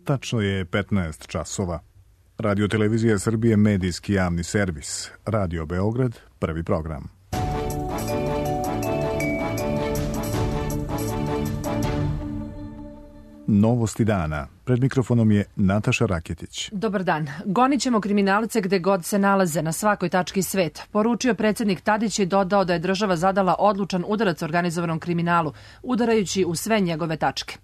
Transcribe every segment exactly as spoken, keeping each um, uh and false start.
Tačno je petnaest časova. Radio Televizija Srbije, medijski javni servis. Radio Beograd, prvi program. Novosti dana. Pred mikrofonom je Nataša Raketić. Dobar dan. Gonit ćemo kriminalce gde god se nalaze, na svakoj tački sveta. Poručio predsjednik Tadić i dodao da je država zadala odlučan udarac organizovanom kriminalu, udarajući u sve njegove tačke.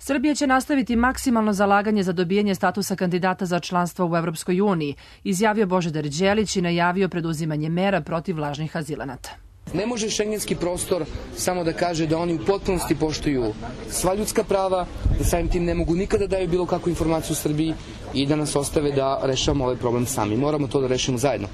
Srbija će nastaviti maksimalno zalaganje za dobijanje statusa kandidata za članstvo u Evropskoj uniji, izjavio Božidar Đelić i najavio preduzimanje mera protiv lažnih azilanata. Ne može šengenski prostor samo da kaže da oni u potpunosti poštuju sva ljudska prava, da samim tim ne mogu nikada daju bilo kakvu informaciju u Srbiji i da nas ostave da rešavamo ovaj problem sami. Moramo to da rešimo zajedno.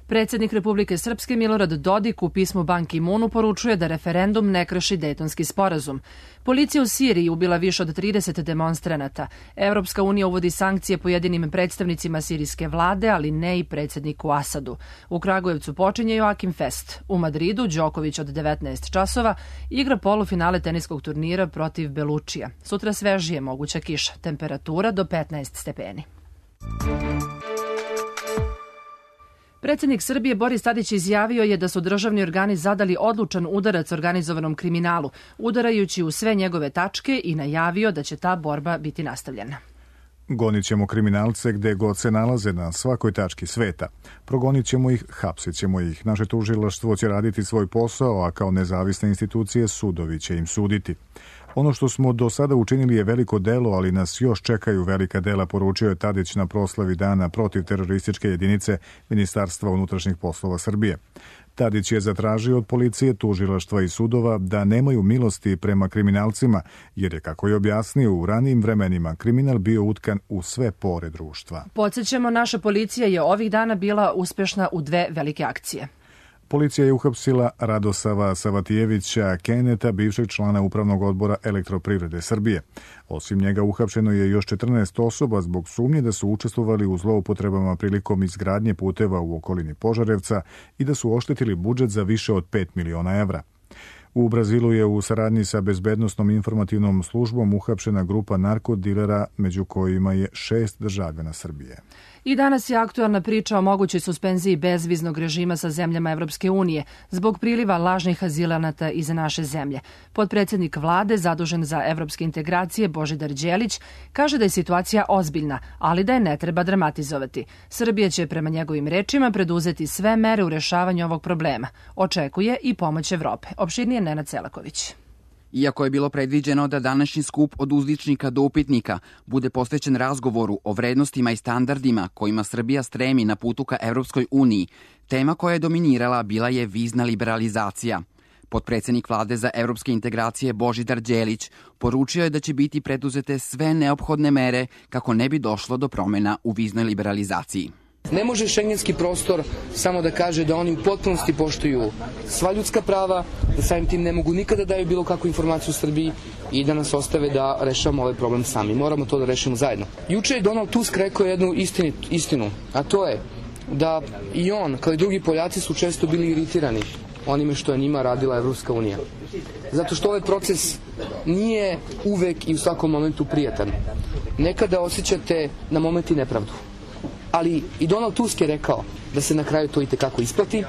Predsjednik Republike Srpske Milorad Dodik u pismu Ban Ki-moonu poručuje da referendum ne krši Dejtonski sporazum. Policija u Siriji ubila više od trideset demonstranata. Evropska unija uvodi sankcije pojedinim predstavnicima sirijske vlade, ali ne i predsjedniku Asadu. U Kragujevcu počinje Joakim Fest. U Madridu Đoković od devetnaest časova igra polufinale teniskog turnira protiv Belučija. Sutra svežije moguća kiša. Temperatura do petnaest stepeni. Predsjednik Srbije Boris Tadić izjavio je da su državni organi zadali odlučan udarac organizovanom kriminalu, udarajući u sve njegove tačke i najavio da će ta borba biti nastavljena. Gonit ćemo kriminalce gde god se nalaze, na svakoj tački sveta. Progonit ćemo ih, hapsit ćemo ih. Naše tužilaštvo će raditi svoj posao, a kao nezavisne institucije sudovi će im suditi. Ono što smo do sada učinili je veliko delo, ali nas još čekaju velika dela, poručio je Tadić na proslavi dana protiv terorističke jedinice Ministarstva unutrašnjih poslova Srbije. Tadić je zatražio od policije, tužilaštva i sudova da nemaju milosti prema kriminalcima, jer je, kako je objasnio, u ranijim vremenima kriminal bio utkan u sve pore društva. Podsjećamo, naša policija je ovih dana bila uspešna u dve velike akcije. Policija je uhapsila Radosava Savatijevića Keneta, bivšeg člana Upravnog odbora Elektroprivrede Srbije. Osim njega uhapšeno je još četrnaest osoba zbog sumnje da su učestvovali u zloupotrebama prilikom izgradnje puteva u okolini Požarevca i da su oštetili budžet za više od pet miliona evra. U Brazilu je u saradnji sa bezbednosnom informativnom službom uhapšena grupa narkodilera, među kojima je šest državljana Srbije. I danas je aktualna priča o mogućoj suspenziji bezviznog režima sa zemljama Evropske unije zbog priliva lažnih azilanata iz naše zemlje. Potpredsjednik vlade, zadužen za evropske integracije, Božidar Đelić, kaže da je situacija ozbiljna, ali da je ne treba dramatizovati. Srbija će, prema njegovim rečima, preduzeti sve mere u rešavanju ovog problema. Očekuje i pomoć Evrope. Opširnije Nenad Selaković. Iako je bilo predviđeno da današnji skup od uzličnika do upitnika bude posvećen razgovoru o vrednostima i standardima kojima Srbija stremi na putu ka Evropskoj uniji, tema koja je dominirala bila je vizna liberalizacija. Potpredsjednik vlade za evropske integracije Božidar Đelić poručio je da će biti preduzete sve neophodne mere kako ne bi došlo do promjena u viznoj liberalizaciji. Ne može šengenski prostor samo da kaže da oni u potpunosti poštuju sva ljudska prava, da samim tim ne mogu nikada daju bilo kakvu informaciju u Srbiji i da nas ostave da rešavamo ovaj problem sami. Moramo to da rešimo zajedno. Juče je Donald Tusk rekao jednu istinu, istinu, a to je da i on, kao i drugi Poljaci, su često bili iritirani onime što je njima radila Evropska unija. Zato što ovaj proces nije uvek i u svakom momentu prijatan. Nekada osjećate na momenti nepravdu. Ali i Donald Tusk je rekao da se na kraju to i tekako isplati,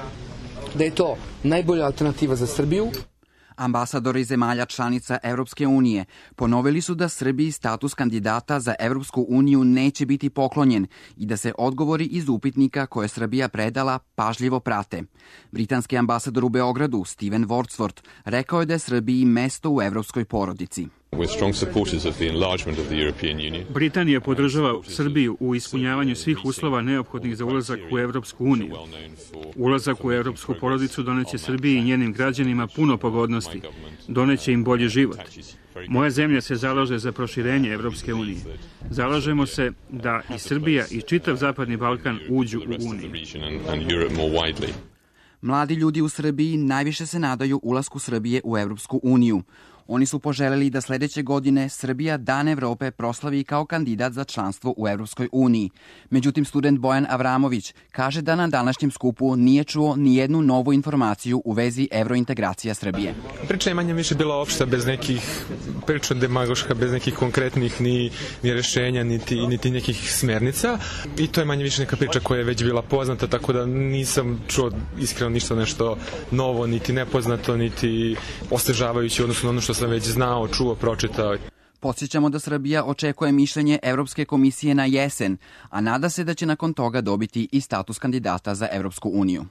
da je to najbolja alternativa za Srbiju. Ambasadori zemalja članica Evropske unije ponovili su da Srbiji status kandidata za Evropsku uniju neće biti poklonjen i da se odgovori iz upitnika koje Srbija predala pažljivo prate. Britanski ambasador u Beogradu, Steven Wordsworth, rekao je da je Srbiji mesto u evropskoj porodici. Britanija podržava Srbiju u ispunjavanju svih uslova neophodnih za ulazak u Evropsku uniju. Ulazak u evropsku porodicu doneće Srbiji i njenim građanima puno pogodnosti, doneće im bolji život. Moja zemlja se zalaže za proširenje Evropske unije. Zalažemo se da i Srbija i čitav Zapadni Balkan uđu u Uniju. Mladi ljudi u Srbiji najviše se nadaju ulasku Srbije u Evropsku uniju. Oni su poželeli da sledeće godine Srbija Dan Evrope proslavi kao kandidat za članstvo u Evropskoj uniji. Međutim, student Bojan Avramović kaže da na današnjem skupu nije čuo ni jednu novu informaciju u vezi evrointegracija Srbije. Priča je manje više bila opšta, bez nekih priča demagoška, bez nekih konkretnih ni, ni rešenja, niti, niti nekih smernica. I to je manje više neka priča koja je već bila poznata, tako da nisam čuo iskreno ništa nešto novo, niti nepoznato, niti osvežavajući odnosno ono što sam već znao, čuo, pročitao. Podsjećamo da Srbija očekuje mišljenje Evropske komisije na jesen, a nada se da će nakon toga dobiti i status kandidata za Evropsku uniju.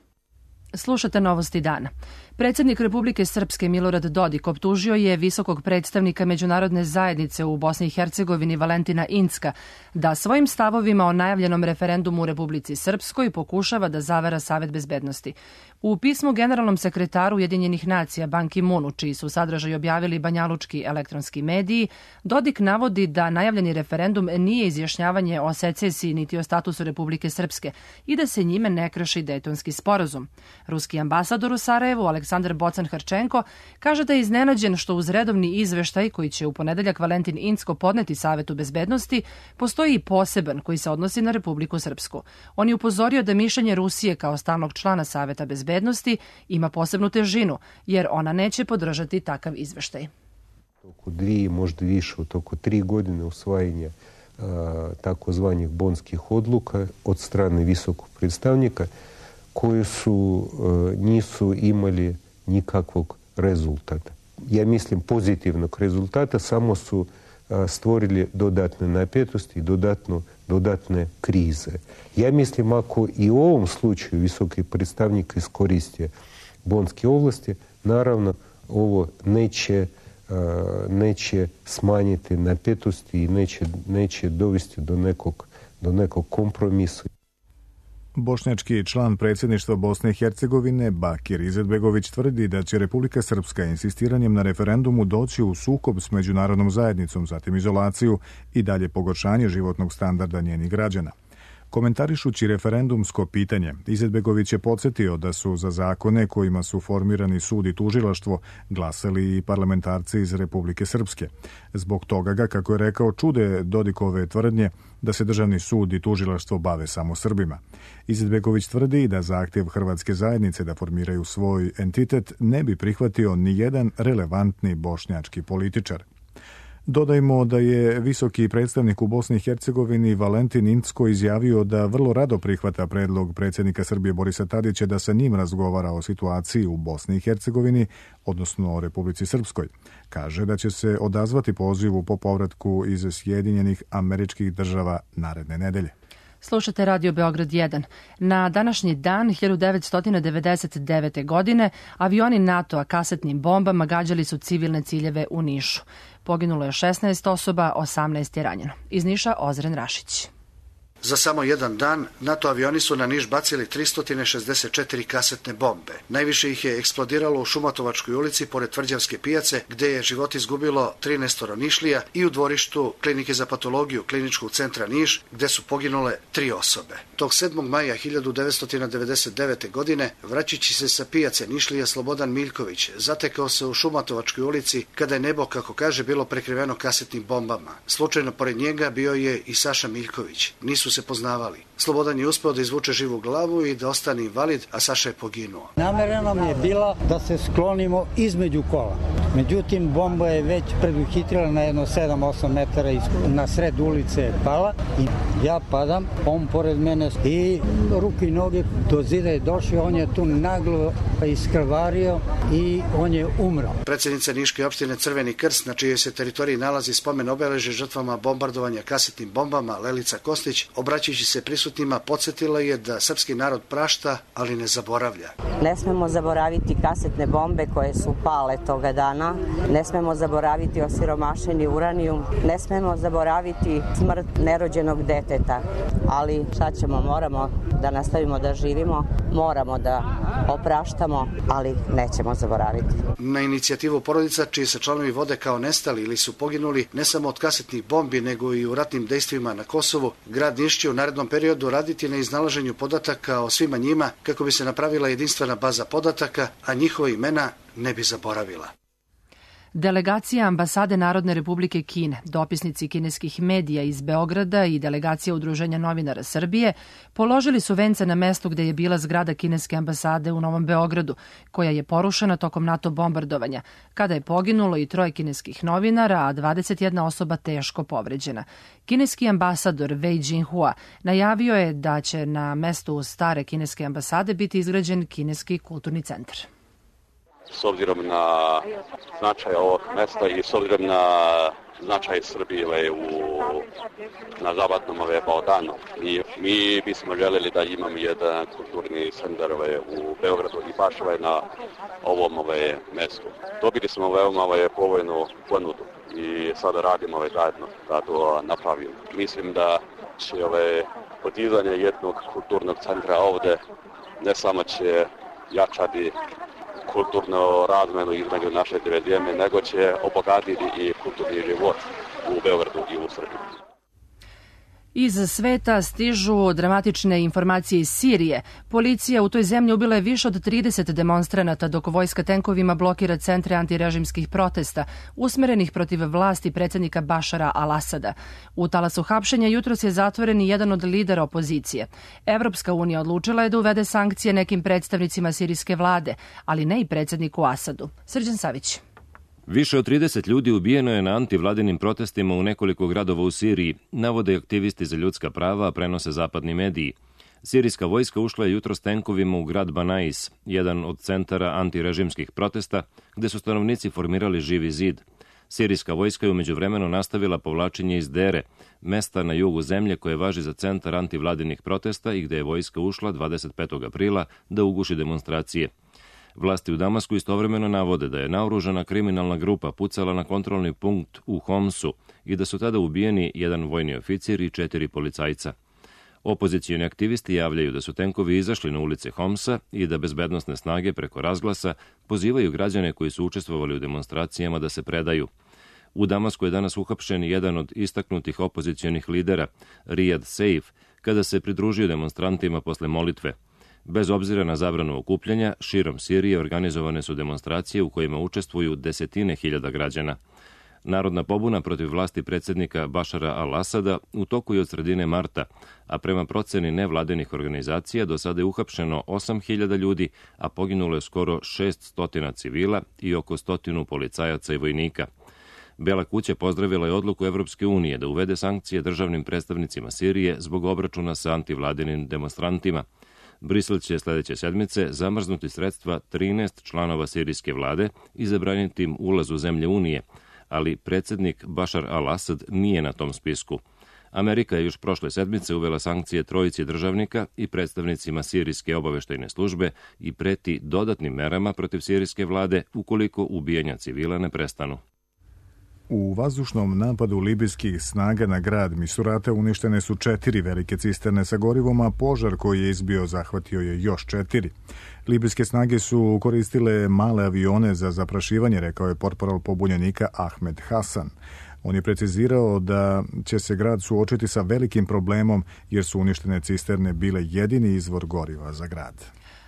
Slušate Novosti dana. Predsjednik Republike Srpske Milorad Dodik optužio je visokog predstavnika međunarodne zajednice u Bosni i Hercegovini Valentina Incka da svojim stavovima o najavljenom referendumu u Republici Srpskoj pokušava da zavara Savet bezbednosti. U pismu generalnom sekretaru Ujedinjenih nacija Ban Ki-moonu, čiji su sadržaj objavili banjalučki elektronski mediji, Dodik navodi da najavljeni referendum nije izjašnjavanje o secesiji niti o statusu Republike Srpske i da se njime ne krši Dejtonski sporazum. Ruski ambasador u Sarajevu, Aleksandar Bocan-Hrčenko, kaže da je iznenađen što uz redovni izveštaj koji će u ponedeljak Valentin Incko podneti Savetu bezbednosti, postoji i poseban koji se odnosi na Republiku Srpsku. On je upozorio da mišljenje Rusije kao stalnog člana Saveta bezbednosti ima posebnu težinu, jer ona neće podržati takav izveštaj. Oko dvije, možda više od oko tri godine usvajanja takozvanih bonskih odluka od strane visokog predstavnika, koji su, nisu imali nikakvog rezultata. Ja mislim pozitivnog rezultata, samo su stvorili dodatne napetosti i dodatno, dodatne krize. Ja mislim ako i u ovom slučaju visoki predstavnik iskoristio bonske ovlasti, naravno ovo neće, neće smanjiti napetosti i neće, neće dovesti do nekog, do nekog kompromisa. Bošnjački član predsjedništva Bosne i Hercegovine Bakir Izetbegović tvrdi da će Republika Srpska insistiranjem na referendumu doći u sukob s međunarodnom zajednicom, zatim izolaciju i dalje pogoršanje životnog standarda njenih građana. Komentarišući referendumsko pitanje, Izetbegović je podsjetio da su za zakone kojima su formirani sud i tužilaštvo glasali i parlamentarci iz Republike Srpske. Zbog toga ga, kako je rekao, čude Dodikove tvrdnje da se državni sud i tužilaštvo bave samo Srbima. Izetbegović tvrdi da zahtjev hrvatske zajednice da formiraju svoj entitet ne bi prihvatio ni jedan relevantni bošnjački političar. Dodajmo da je visoki predstavnik u Bosni i Hercegovini Valentin Incko izjavio da vrlo rado prihvata predlog predsjednika Srbije Borisa Tadića da sa njim razgovara o situaciji u Bosni i Hercegovini, odnosno o Republici Srpskoj. Kaže da će se odazvati pozivu po povratku iz Sjedinjenih Američkih Država naredne nedelje. Slušate Radio Beograd jedan. Na današnji dan hiljadu devetsto devedeset devete. godine avioni NATO-a kasetnim bombama gađali su civilne ciljeve u Nišu. Poginulo je šesnaest osoba, osamnaest je ranjeno. Iz Niša Ozren Rašić. Za samo jedan dan NATO avioni su na Niš bacili tristo šezdeset četiri kasetne bombe. Najviše ih je eksplodiralo u Šumatovačkoj ulici pored Tvrđavske pijace, gde je život izgubilo trinaest Nišlija, i u dvorištu Klinike za patologiju Kliničkog centra Niš, gde su poginule tri osobe. Tog sedmog maja hiljadu devetsto devedeset devete. godine, vraćajući se sa pijace Nišlija, Slobodan Miljković zatekao se u Šumatovačkoj ulici kada je nebo, kako kaže, bilo prekriveno kasetnim bombama. Slučajno pored njega bio je i Saša Miljković. Nisu se poznavali. Slobodan je uspeo da izvuče živu glavu i da ostane invalid, a Saša je poginuo. Namera nam je bila da se sklonimo između kola. Međutim, bomba je već preduhitrila na jedno sedam osam metara na sred ulice je pala i ja padam, on pored mene i ruke i noge do zida je došao, on je tu naglo iskrvario i on je umro. Predsjednica Niške opštine Crveni krst, na čijoj se teritoriji nalazi spomen obeležje žrtvama bombardovanja kasetnim bombama, Lelica Kostić, obraćajući se prisutnima, podsjetila je da srpski narod prašta, ali ne zaboravlja. Ne smemo zaboraviti kasetne bombe koje su pale toga dana, ne smemo zaboraviti osiromašeni uranijum, ne smemo zaboraviti smrt nerođenog deteta, ali šta ćemo, moramo da nastavimo da živimo, moramo da opraštamo, ali nećemo zaboraviti. Na inicijativu porodica, čiji se članovi vode kao nestali ili su poginuli ne samo od kasetnih bombi, nego i u ratnim dejstvima na Kosovu, grad Niš će u narednom periodu raditi na iznalaženju podataka o svima njima kako bi se napravila jedinstvena baza podataka, a njihova imena ne bi zaboravila. Delegacija ambasade Narodne republike Kine, dopisnici kineskih medija iz Beograda i delegacija Udruženja novinara Srbije položili su vence na mestu gde je bila zgrada kineske ambasade u Novom Beogradu, koja je porušena tokom NATO bombardovanja, kada je poginulo i troje kineskih novinara, a dvadeset jedna osoba teško povređena. Kineski ambasador Wei Jinhua najavio je da će na mestu stare kineske ambasade biti izgrađen kineski kulturni centar. S obzirom na značaj ovog mesta i s obzirom na značaj Srbije u, na zapadnom ove Balkanu. I mi bismo željeli da imamo jedan kulturni centar u Beogradu i baš na ovom ove mestu. Dobili smo veoma ove povoljnu ponudu i sada radimo ove zajedno da to napravimo. Mislim da će ove podizanje jednog kulturnog centra ovde ne samo će jačati kulturno razmenu između naše dve zemlje, nego će obogatiti i kulturni život u Beogradu i u Srbiji. Iz sveta stižu dramatične informacije iz Sirije. Policija u toj zemlji ubila je više od trideset demonstranata, dok vojska tenkovima blokira centre antirežimskih protesta, usmerenih protiv vlasti predsjednika Bašara al-Asada. U talasu hapšenja jutros je zatvoren i jedan od lidera opozicije. Evropska unija odlučila je da uvede sankcije nekim predstavnicima sirijske vlade, ali ne i predsjedniku Asadu. Srđan Savić. Više od trideset ljudi ubijeno je na antivladinim protestima u nekoliko gradova u Siriji, navode aktivisti za ljudska prava, a prenose zapadni mediji. Sirijska vojska ušla je jutros tenkovima u grad Banais, jedan od centara antirežimskih protesta, gde su stanovnici formirali živi zid. Sirijska vojska je umeđu vremenu nastavila povlačenje iz Dere, mesta na jugu zemlje koje važi za centar antivladinih protesta i gde je vojska ušla dvadeset petog aprila da uguši demonstracije. Vlasti u Damasku istovremeno navode da je naoružana kriminalna grupa pucala na kontrolni punkt u Homsu i da su tada ubijeni jedan vojni oficir i četiri policajca. Opozicijoni aktivisti javljaju da su tenkovi izašli na ulice Homsa i da bezbednosne snage preko razglasa pozivaju građane koji su učestvovali u demonstracijama da se predaju. U Damasku je danas uhapšen jedan od istaknutih opozicionih lidera, Riyad Seif, kada se pridružio demonstrantima posle molitve. Bez obzira na zabranu okupljanja, širom Sirije organizovane su demonstracije u kojima učestvuju desetine hiljada građana. Narodna pobuna protiv vlasti predsjednika Bašara al-Asada u toku je od sredine marta, a prema proceni nevladenih organizacija do sada je uhapšeno osam hiljada ljudi, a poginulo je skoro šest stotina civila i oko stotinu policajaca i vojnika. Bela kuća pozdravila je odluku Evropske unije da uvede sankcije državnim predstavnicima Sirije zbog obračuna sa antivladinim demonstrantima. Brisel će sljedeće sedmice zamrznuti sredstva trinaest članova sirijske vlade i zabraniti im ulaz u zemlje Unije, ali predsjednik Bašar al-Asad nije na tom spisku. Amerika je još prošle sedmice uvela sankcije trojici državnika i predstavnicima sirijske obaveštajne službe i preti dodatnim merama protiv sirijske vlade ukoliko ubijanja civila ne prestanu. U vazdušnom napadu libijskih snaga na grad Misurate uništene su četiri velike cisterne sa gorivom, a požar koji je izbio zahvatio je još četiri. Libijske snage su koristile male avione za zaprašivanje, rekao je portparol pobunjenika Ahmed Hasan. On je precizirao da će se grad suočiti sa velikim problemom jer su uništene cisterne bile jedini izvor goriva za grad.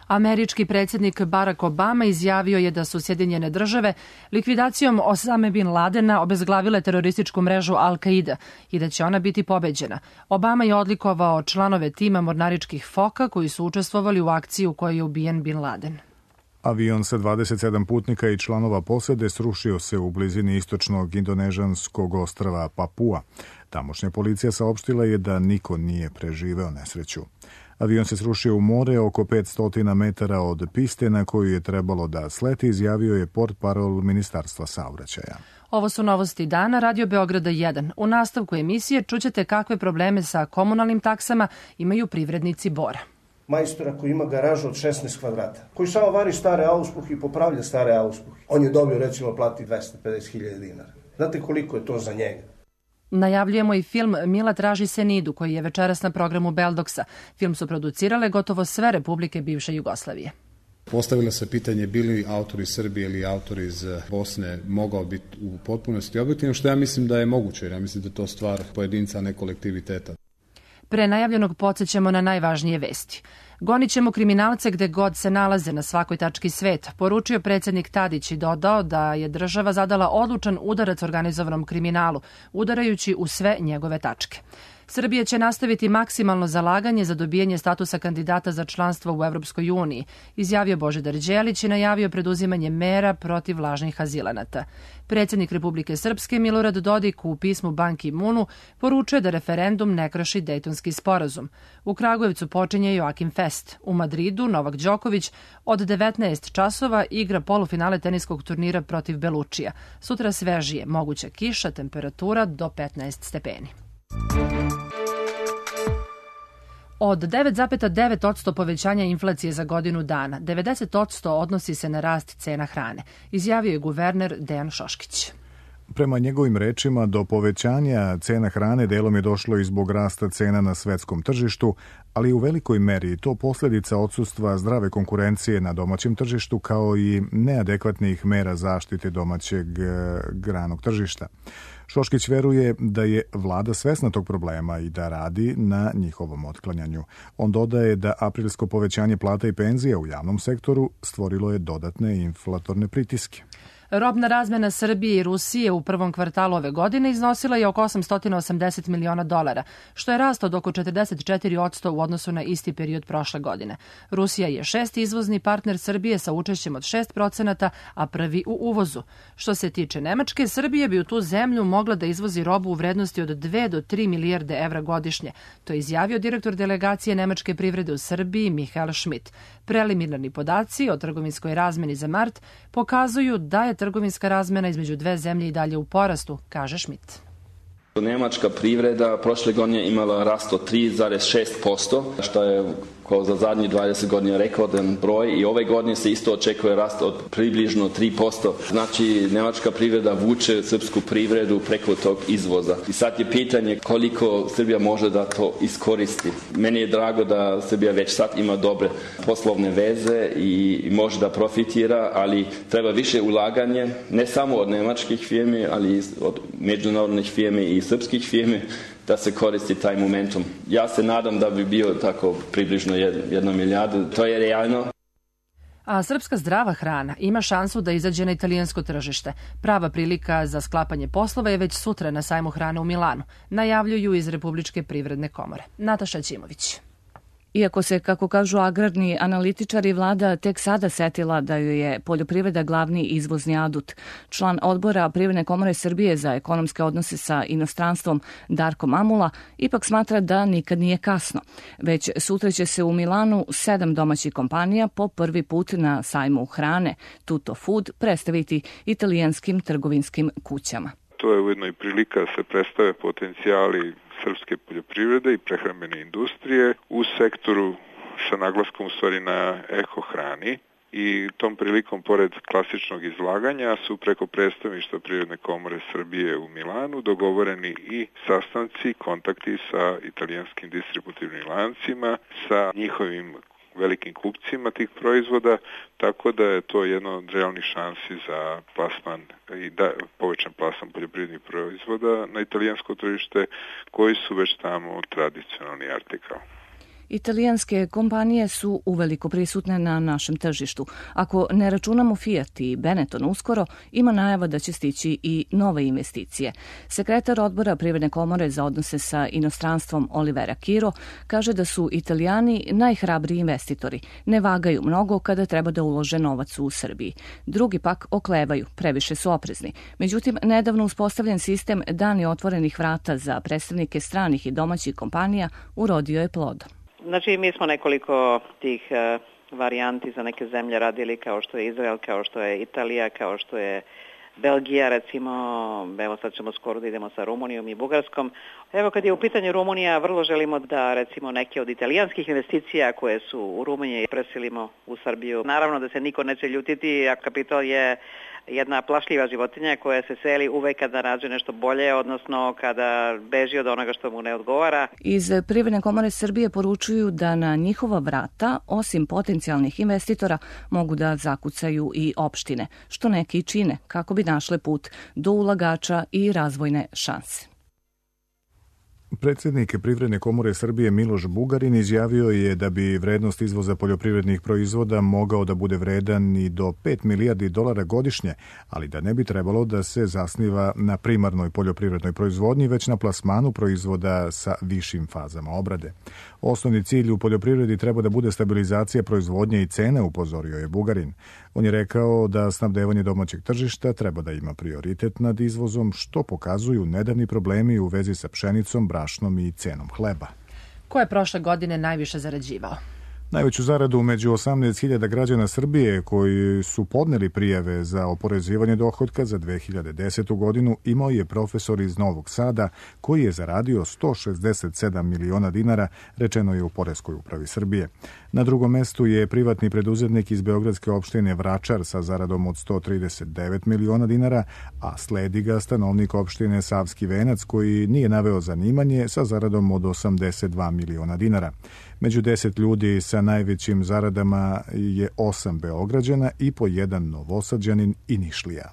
Američki predsjednik Barack Obama izjavio je da su Sjedinjene države likvidacijom Osame bin Ladena obezglavile terorističku mrežu Al-Qaida i da će ona biti pobeđena. Obama je odlikovao članove tima mornaričkih foka koji su učestvovali u akciji u kojoj je ubijen bin Laden. Avion sa dvadeset sedam putnika i članova posade srušio se u blizini istočnog indonežanskog ostrva Papua. Tamošnja policija saopštila je da niko nije preživeo nesreću. Avion se srušio u more oko petsto metara od piste na koju je trebalo da sleti, izjavio je portparol Ministarstva saobraćaja. Ovo su novosti dana Radio Beograda jedan. U nastavku emisije čućete kakve probleme sa komunalnim taksama imaju privrednici Bora. Majstora koji ima garažu od šesnaest kvadrata, koji samo vari stare auspuhe i popravlja stare auspuhe. On je dobio recimo plati dvesta pedeset hiljada dinara. Znate koliko je to za njega? Najavljujemo i film Mila traži Senidu, koji je večeras na programu Beldoksa. Film su producirale gotovo sve republike bivše Jugoslavije. Postavilo se pitanje bi li autor iz Srbije ili autor iz Bosne mogao biti u potpunosti objektivan, što ja mislim da je moguće, jer ja mislim da je to stvar pojedinca, a ne kolektiviteta. Pre najavljenog podsjećamo na najvažnije vesti. Gonit ćemo kriminalce gde god se nalaze na svakoj tački sveta, poručio predsjednik Tadić i dodao da je država zadala odlučan udarac organizovanom kriminalu, udarajući u sve njegove tačke. Srbija će nastaviti maksimalno zalaganje za dobijanje statusa kandidata za članstvo u Evropskoj uniji, izjavio Božidar Đelić i najavio preduzimanje mera protiv lažnih azilanata. Predsjednik Republike Srpske Milorad Dodik u pismu Ban Ki-moonu poručuje da referendum ne krši Dejtonski sporazum. U Kragujevcu počinje Joakim Fest. U Madridu Novak Đoković od devetnaest časova igra polufinale teniskog turnira protiv Belučija. Sutra svežije, moguća kiša, temperatura do petnaest stepeni. Od devet zarez devet posto povećanja inflacije za godinu dana, devedeset posto odnosi se na rast cena hrane, izjavio je guverner Dejan Šoškić. Prema njegovim rečima, do povećanja cena hrane delom je došlo i zbog rasta cena na svetskom tržištu, ali u velikoj meri to posljedica odsustva zdrave konkurencije na domaćem tržištu kao i neadekvatnih mera zaštite domaćeg granog tržišta. Šoškić veruje da je vlada svesna tog problema i da radi na njihovom otklanjanju. On dodaje da aprilsko povećanje plata i penzija u javnom sektoru stvorilo je dodatne inflatorne pritiske. Robna razmena Srbije i Rusije u prvom kvartalu ove godine iznosila je oko osamsto osamdeset miliona dolara, što je rast od oko četrdeset četiri posto u odnosu na isti period prošle godine. Rusija je šesti izvozni partner Srbije sa učešćem od šest procenata, a prvi u uvozu. Što se tiče Nemačke, Srbija bi u tu zemlju mogla da izvozi robu u vrednosti od dve do tri milijarde evra godišnje. To je izjavio direktor delegacije nemačke privrede u Srbiji Michael Schmidt. Preliminarni podaci o trgovinskoj razmeni za mart pokazuju da je trgovinska razmena između dve zemlje i dalje u porastu, kaže Schmidt. Nemačka privreda prošle godine imala rast od tri zarez šest posto, što je kao za zadnjih dvadeset godina rekordan broj i ove godine se isto očekuje rast od približno tri posto. Znači, nemačka privreda vuče srpsku privredu preko tog izvoza. I sad je pitanje koliko Srbija može da to iskoristi. Meni je drago da Srbija već sad ima dobre poslovne veze i može da profitira, ali treba više ulaganje, ne samo od nemačkih firmi, ali od međunarodnih firmi i srpskih firmi, da se koristi taj momentum. Ja se nadam da bi bio tako približno jedna milijarda. To je realno. A srpska zdrava hrana ima šansu da izađe na italijansko tržište. Prava prilika za sklapanje poslova je već sutra na sajmu hrane u Milanu, najavljuju iz Republičke privredne komore. Nataša Ćimović. Iako se, kako kažu agrarni analitičari, vlada tek sada setila da joj je poljoprivreda glavni izvozni adut. Član odbora Privredne komore Srbije za ekonomske odnose sa inostranstvom Darko Mamula ipak smatra da nikad nije kasno. Već sutra će se u Milanu sedam domaćih kompanija po prvi put na sajmu hrane Tutto Food predstaviti italijanskim trgovinskim kućama. To je ujedno i prilika da se predstave potencijali srpske poljoprivrede i prehrambene industrije u sektoru sa naglaskom u stvari na ekohrani i tom prilikom pored klasičnog izlaganja su preko predstavništva Privredne komore Srbije u Milanu dogovoreni i sastanci, kontakti sa italijanskim distributivnim lancima, sa njihovim velikim kupcima tih proizvoda, tako da je to jedno od realnih šansi za plasman i da, povećan plasman poljoprivrednih proizvoda na italijansko tržište koji su već tamo tradicionalni artikal. Italijanske kompanije su uveliko prisutne na našem tržištu. Ako ne računamo Fiat i Benetton uskoro, ima najava da će stići i nove investicije. Sekretar odbora Privredne komore za odnose sa inostranstvom Olivera Kiro kaže da su Italijani najhrabriji investitori. Ne vagaju mnogo kada treba da ulože novac u Srbiji. Drugi pak oklevaju, previše su oprezni. Međutim, nedavno uspostavljen sistem dani otvorenih vrata za predstavnike stranih i domaćih kompanija urodio je plodom. Znači, mi smo nekoliko tih uh, varijanti za neke zemlje radili, kao što je Izrael, kao što je Italija, kao što je Belgija, recimo, evo sad ćemo skoro da idemo sa Rumunijom i Bugarskom. Evo, kad je u pitanju Rumunija, vrlo želimo da, recimo, neke od italijanskih investicija koje su u Rumuniji preselimo u Srbiju. Naravno da se niko neće ljutiti, a kapital je jedna plašljiva životinja koja se seli uvek kada nađe nešto bolje, odnosno kada beži od onoga što mu ne odgovara. Iz Privredne komore Srbije poručuju da na njihova vrata, osim potencijalnih investitora, mogu da zakucaju i opštine, što neki čine kako bi našle put do ulagača i razvojne šanse. Predsjednik Privredne komore Srbije Miloš Bugarin izjavio je da bi vrednost izvoza poljoprivrednih proizvoda mogao da bude vredan i do pet milijardi dolara godišnje, ali da ne bi trebalo da se zasniva na primarnoj poljoprivrednoj proizvodnji, već na plasmanu proizvoda sa višim fazama obrade. Osnovni cilj u poljoprivredi treba da bude stabilizacija proizvodnje i cene, upozorio je Bugarin. On je rekao da snabdevanje domaćeg tržišta treba da ima prioritet nad izvozom, što pokazuju nedavni problemi u vezi sa pšenicom, brašnom i cenom hleba. Ko je prošle godine najviše zarađivao? Najveću zaradu među osamnaest hiljada građana Srbije koji su podneli prijave za oporezivanje dohotka za dve hiljade desetu godinu imao je profesor iz Novog Sada koji je zaradio sto šezdeset sedam miliona dinara, rečeno je u Poreskoj upravi Srbije. Na drugom mestu je privatni preduzetnik iz beogradske opštine Vračar sa zaradom od sto trideset devet miliona dinara, a sledi ga stanovnik opštine Savski Venac koji nije naveo zanimanje sa zaradom od osamdeset dva miliona dinara. Među deset ljudi sa najvećim zaradama je osam Beograđana i po jedan Novosađanin i Nišlija.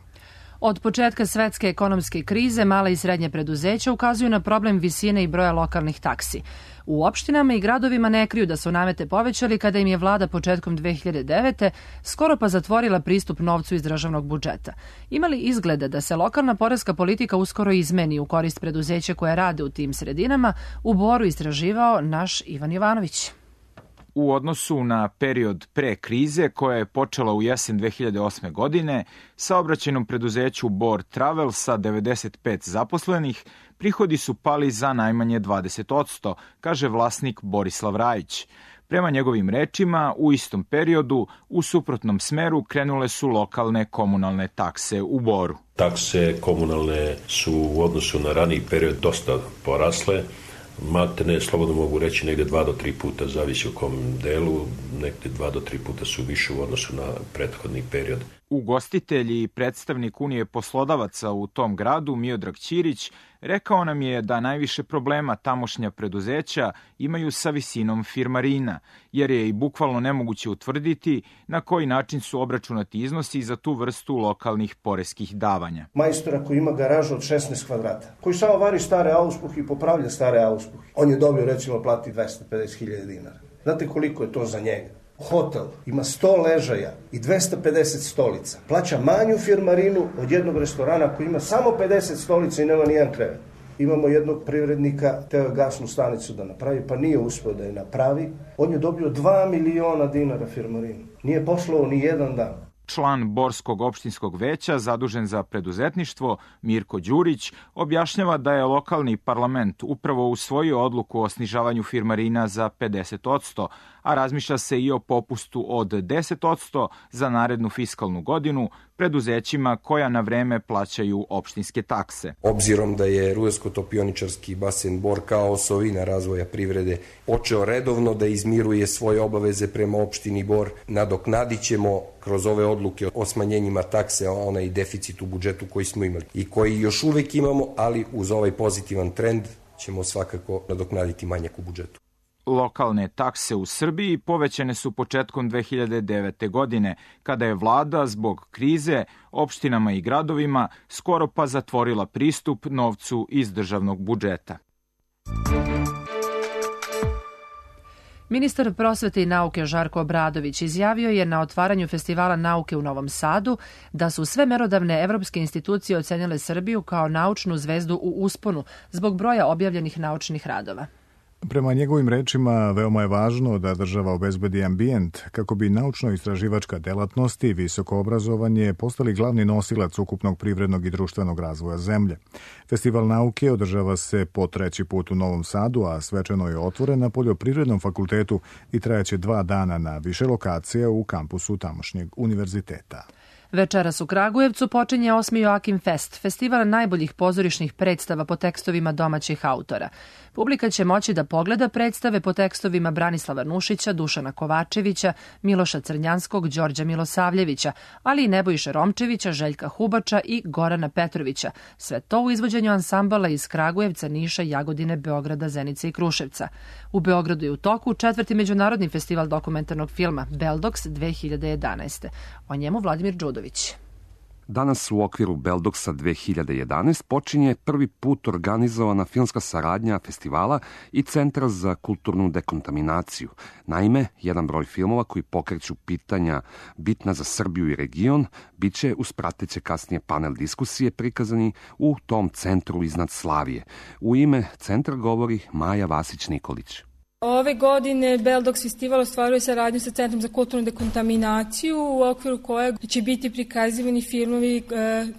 Od početka svetske ekonomske krize mala i srednje preduzeća ukazuju na problem visine i broja lokalnih taksi. U opštinama i gradovima ne kriju da su namete povećali kada im je vlada početkom dve hiljade devete skoro pa zatvorila pristup novcu iz državnog budžeta. Ima li izgleda da se lokalna poreska politika uskoro izmeni u korist preduzeća koje rade u tim sredinama, u Boru istraživao naš Ivan Jovanović. U odnosu na period pre krize koja je počela u jesen dve hiljade osme. godine, saobraćajnom preduzeću Bor Travel sa devedeset pet zaposlenih prihodi su pali za najmanje dvadeset posto, kaže vlasnik Borislav Rajić. Prema njegovim rečima, u istom periodu, u suprotnom smeru krenule su lokalne komunalne takse u Boru. Takse komunalne su u odnosu na raniji period dosta porasle. Matene, slobodno mogu reći, negde dva do tri puta, zavisi u kom delu, negde dva do tri puta su više u odnosu na prethodni period. Ugostitelj i predstavnik Unije poslodavaca u tom gradu, Miodrag Ćirić, rekao nam je da najviše problema tamošnja preduzeća imaju sa visinom firmarina, jer je i bukvalno nemoguće utvrditi na koji način su obračunati iznosi za tu vrstu lokalnih poreskih davanja. Majstora koji ima garažu od šesnaest kvadrata, koji samo vari stare auspuhe i popravlja stare auspuhe, on je dobio recimo plati dvesta pedeset hiljada dinara. Znate koliko je to za njega? Hotel ima sto ležaja i dvesta pedeset stolica. Plaća manju firmarinu od jednog restorana koji ima samo pedeset stolica i nema nijedan krevet. Imamo jednog privrednika, teo je gasnu stanicu da napravi, pa nije uspeo da je napravi. On je dobio dva miliona dinara firmarinu. Nije poslao ni jedan dan. Član Borskog opštinskog veća zadužen za preduzetništvo Mirko Đurić objašnjava da je lokalni parlament upravo usvojio odluku o snižavanju firmarina za pedeset posto, a razmišlja se i o popustu od deset posto za narednu fiskalnu godinu preduzećima koja na vreme plaćaju opštinske takse. Obzirom da je Rudarsko-topioničarski basen Bor kao osovina razvoja privrede počeo redovno da izmiruje svoje obaveze prema opštini Bor, nadoknadit ćemo kroz ove odluke o smanjenjima takse onaj deficit u budžetu koji smo imali i koji još uvek imamo, ali uz ovaj pozitivan trend ćemo svakako nadoknaditi manjak u budžetu. Lokalne takse u Srbiji povećane su početkom dve hiljade devete. godine, kada je vlada zbog krize opštinama i gradovima skoro pa zatvorila pristup novcu iz državnog budžeta. Ministar prosvete i nauke Žarko Obradović izjavio je na otvaranju Festivala nauke u Novom Sadu da su sve merodavne evropske institucije ocenile Srbiju kao naučnu zvezdu u usponu zbog broja objavljenih naučnih radova. Prema njegovim rečima, veoma je važno da država obezbedi ambijent kako bi naučno-istraživačka delatnost i visoko obrazovanje postali glavni nosilac ukupnog privrednog i društvenog razvoja zemlje. Festival nauke održava se po treći put u Novom Sadu, a svečano je otvoren na Poljoprivrednom fakultetu i trajaće dva dana na više lokacija u kampusu tamošnjeg univerziteta. Večeras u Kragujevcu počinje osmi Joakim Fest, festival najboljih pozorišnih predstava po tekstovima domaćih autora. Publika će moći da pogleda predstave po tekstovima Branislava Nušića, Dušana Kovačevića, Miloša Crnjanskog, Đorđa Milosavljevića, ali i Nebojše Romčevića, Željka Hubača i Gorana Petrovića. Sve to u izvođenju ansambala iz Kragujevca, Niša, Jagodine, Beograda, Zenice i Kruševca. U Beogradu je u toku četvrti međunarodni festival dokumentarnog filma Beldox dve hiljade jedanaeste. O njemu Vladimir Đudović. Danas u okviru Beldoksa dve hiljade jedanaeste počinje prvi put organizovana filmska saradnja festivala i Centra za kulturnu dekontaminaciju. Naime, jedan broj filmova koji pokreću pitanja bitna za Srbiju i region biće uz prateće kasnije panel diskusije prikazani u tom centru iznad Slavije. U ime centra govori Maja Vasić-Nikolić. Ove godine Beldoks festival ostvaruje saradnju sa Centrom za kulturnu dekontaminaciju u okviru kojeg će biti prikazivani filmovi e,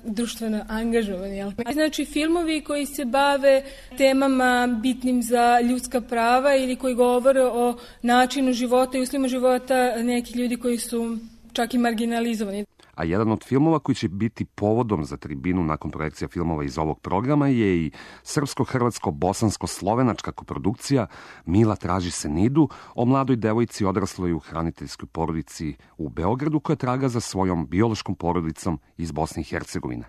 društveno angažovani. Jel? Znači filmovi koji se bave temama bitnim za ljudska prava ili koji govore o načinu života i uslovima života nekih ljudi koji su čak i marginalizovani. A jedan od filmova koji će biti povodom za tribinu nakon projekcija filmova iz ovog programa je i srpsko-hrvatsko-bosansko-slovenačka koprodukcija Mila traži se Nidu o mladoj devojci odrasloj u hraniteljskoj porodici u Beogradu koja traga za svojom biološkom porodicom iz Bosne i Hercegovine.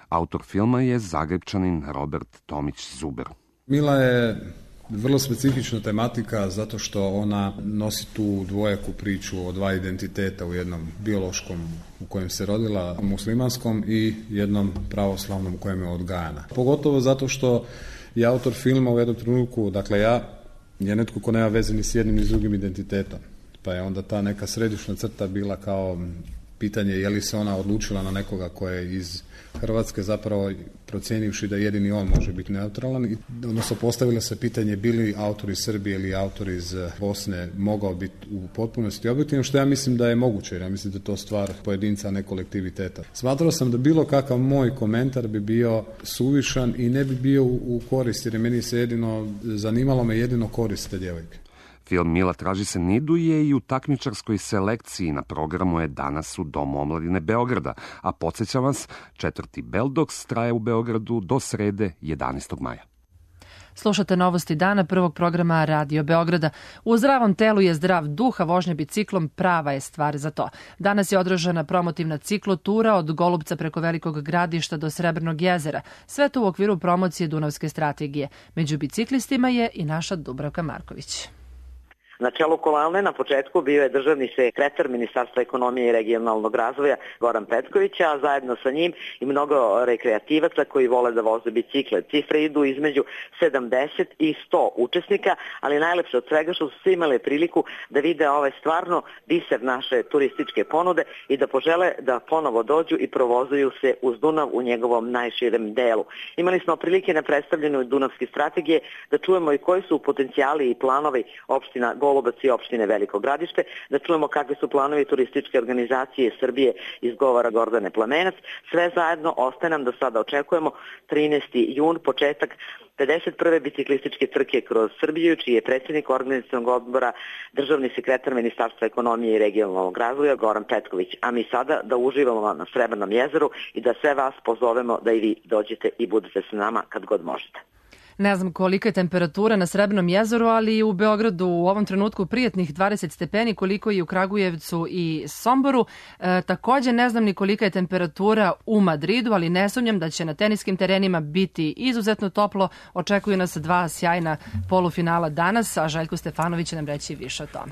Autor filma je Zagrebčanin Robert Tomić Zuber. Mila je vrlo specifična tematika zato što ona nosi tu dvojaku priču o dva identiteta u jednom biološkom u kojem se rodila, muslimanskom, i jednom pravoslavnom u kojem je odgajana. Pogotovo zato što je autor filma u jednom trenutku, dakle ja, je netko ko nema veze ni s jednim ni s drugim identitetom. Pa je onda ta neka središnja crta bila kao pitanje je li se ona odlučila na nekoga ko je iz Hrvatske, zapravo procijenivši da jedini on može biti neutralan, i odnosno postavilo se pitanje bi li autor iz Srbije ili autor iz Bosne mogao biti u potpunosti objektivan, što ja mislim da je moguće, jer ja mislim da je to stvar pojedinca, a ne kolektiviteta. Smatrao sam da bilo kakav moj komentar bi bio suvišan i ne bi bio u korist, jer je meni se jedino, zanimalo me jedino korist te djevojke. Film Mila traži se Nidu je i u takmičarskoj selekciji na programu je danas u Domu omladine Beograda, a podsjećam vas, četvrti Beldoks traje u Beogradu do srede jedanaestog maja. Slušate novosti dana prvog programa Radio Beograda. U zdravom telu je zdrav duh, a vožnja biciklom prava je stvar za to. Danas je održana promotivna ciklotura od Golubca preko Velikog Gradišta do Srebrnog jezera. Sve to u okviru promocije Dunavske strategije. Među biciklistima je i naša Dubravka Marković. Na čelu kolone na početku bio je državni sekretar Ministarstva ekonomije i regionalnog razvoja Goran Petković, a zajedno sa njim i mnogo rekreativaca koji vole da voze bicikle. Cifre idu između sedamdeset i sto učesnika, ali najlepše od svega što su svi imali priliku da vide ovaj stvarno biser naše turističke ponude i da požele da ponovo dođu i provozuju se uz Dunav u njegovom najširem delu. Imali smo prilike na predstavljanju Dunavske strategije da čujemo i koji su potencijali i planovi opština Golubac i opštine Veliko Gradište, da čujemo kakvi su planovi turističke organizacije Srbije iz govora Gordane Plamenac. Sve zajedno ostaje nam da sada očekujemo trinaesti jun, početak pedeset prve biciklističke trke kroz Srbiju, čiji je predsjednik organizacionog odbora državni sekretar Ministarstva ekonomije i regionalnog razvoja Goran Petković. A mi sada da uživamo na Srebrnom jezeru i da sve vas pozovemo da i vi dođete i budete s nama kad god možete. Ne znam kolika je temperatura na Srebrnom jezeru, ali u Beogradu u ovom trenutku prijatnih dvadeset stepeni, koliko i u Kragujevcu i Somboru. E, također ne znam ni kolika je temperatura u Madridu, ali ne sumnjam da će na teniskim terenima biti izuzetno toplo. Očekuju nas dva sjajna polufinala danas, a Željko Stefanović će nam reći više o tome.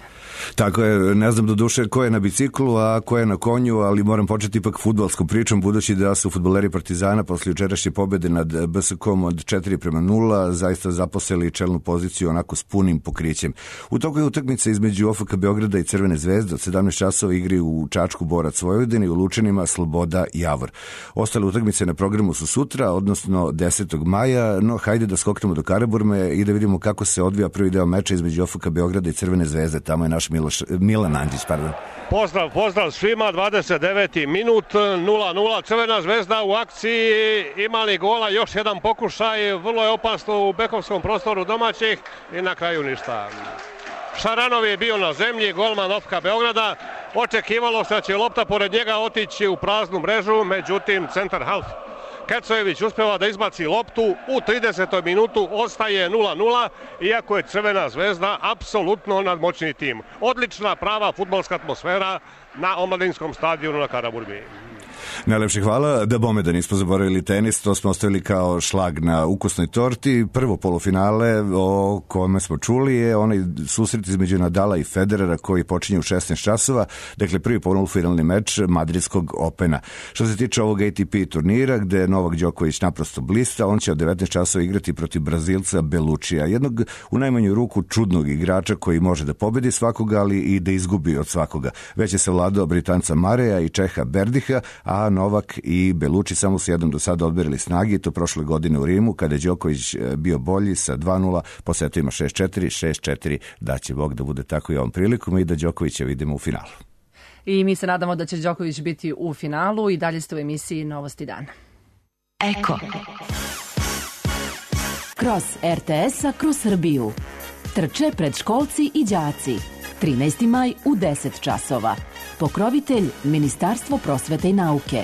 Tako je, ne znam do duše ko je na biciklu, a ko je na konju, ali moram početi ipak fudbalskom pričom, budući da su fudbaleri Partizana posle jučerašnje pobede nad B S K-om od četiri prema nula zaista zaposeli čelnu poziciju onako s punim pokrićem. U toku je utakmica između O F K Beograda i Crvene zvezde, od sedamnaest časova igri u Čačku Borac Vojvodine i u Lučanima Sloboda Javor. Ostale utakmice na programu su sutra, odnosno desetog maja, no hajde da skoknemo do Karaburme i da vidimo kako se odvija prvi deo meča između O F K Beograda i Crvene zvezde. Tamo je naš Miloš, Milan Andrić, pardon. Pozdrav, pozdrav svima, dvadeset deveti minut, nula nula, Crvena zvezda u akciji, imali gola, još jedan pokušaj, vrlo je opasno u bekovskom prostoru domaćih i na kraju ništa. Šaranov je bio na zemlji, golman O F K Beograda, očekivalo se da će lopta pored njega otići u praznu mrežu, međutim centar half Kecojević uspeva da izbaci loptu, u tridesetoj minutu ostaje nula nula, iako je Crvena zvezda apsolutno nadmoćni tim. Odlična, prava fudbalska atmosfera na omladinskom stadionu na Karaburmi. Najlepše hvala. Da bome da nismo zaboravili tenis, to smo ostavili kao šlag na ukusnoj torti. Prvo polufinale o kome smo čuli je onaj susret između Nadala i Federera koji počinje u šesnaest časova. Dakle, prvi polufinalni meč Madridskog Opena. Što se tiče ovog A T P turnira, gde Novak Đoković naprosto blista, on će od devetnaest časova igrati protiv Brazilca Belučija, jednog u najmanju ruku čudnog igrača koji može da pobedi svakoga, ali i da izgubi od svakoga. Već je se vladao Britanca Mareja i Čeha Berdiha, a Novak i Beluči samo su jednom do sada odberili snagi, to prošle godine u Rimu, kada je Đoković bio bolji sa dva nula, po setu ima šest četiri, šest četiri, da će Bog da bude tako i ovom prilikom i da Đokovića vidimo u finalu. I mi se nadamo da će Đoković biti u finalu i dalje ste u emisiji Novosti dana. Eko. Kroz R T S-a kroz Srbiju. Trče predškolci i đaci. trinaesti maj u deset časova. Pokrovitelj Ministarstvo prosvete i nauke.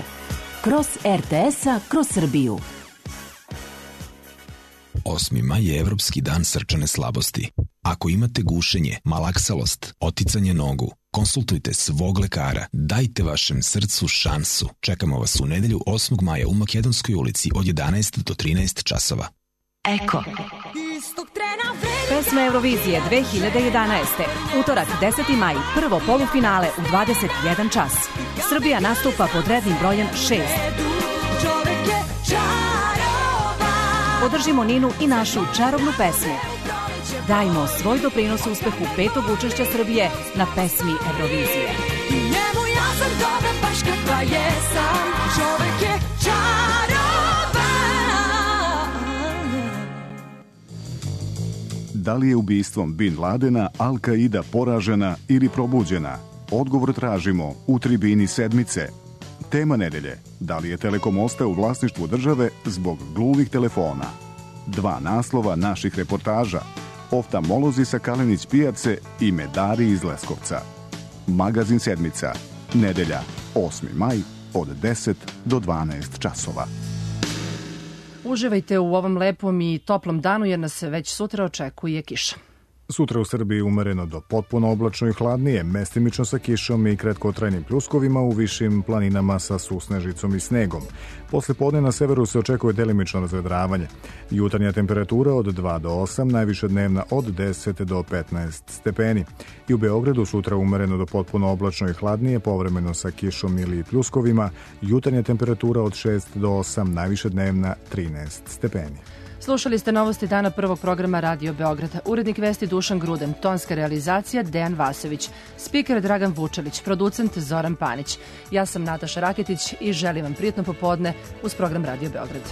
Kroz R T S-a kroz Srbiju. osmi maj je Evropski dan srčane slabosti. Ako imate gušenje, malaksalost, oticanje nogu, konsultujte svog lekara. Dajte vašem srcu šansu. Čekamo vas u nedelju osmog maja u Makedonskoj ulici od jedanaest do trinaest časova. Eko. Pesma Eurovizije dve hiljade jedanaeste. Utorak deseti maj, prvo polufinale u dvadeset jedan čas. Srbija nastupa pod rednim brojem šest. Podržimo Ninu i našu čarobnu pesmu. Dajmo svoj doprinos uspehu petog učešća Srbije na pesmi Eurovizije. Njemu ja sam dobra baš kakva jesam. Čovek je čaroban. Da li je ubistvom Bin Ladena Al-Qaida poražena ili probuđena? Odgovor tražimo u tribini sedmice. Tema nedelje. Da li je Telekom ostao u vlasništvu države zbog gluvih telefona? Dva naslova naših reportaža. Oftamolozi sa Kalenić pijace i medari iz Leskovca. Magazin sedmica. Nedelja, osmi maj, od deset do dvanaest časova. Uživajte u ovom lepom i toplom danu jer nas već sutra očekuje kiša. Sutra u Srbiji umereno do potpuno oblačno i hladnije, mestimično sa kišom i kratkotrajnim pljuskovima u višim planinama sa susnežicom i snegom. Posle podne na severu se očekuje delimično razvedravanje. Jutarnja temperatura od dva do osam, najviše dnevna od deset do petnaest stepeni. I u Beogradu sutra umereno do potpuno oblačno i hladnije, povremeno sa kišom ili pljuskovima. Jutarnja temperatura od šest do osam, najviše dnevna trinaest stepeni. Slušali ste Novosti dana prvog programa Radio Beograda. Urednik vesti Dušan Gruden, tonska realizacija Dejan Vasović, spiker Dragan Vučelić, producent Zoran Panić. Ja sam Nataša Raketić i želim vam prijatno popodne uz program Radio Beograd.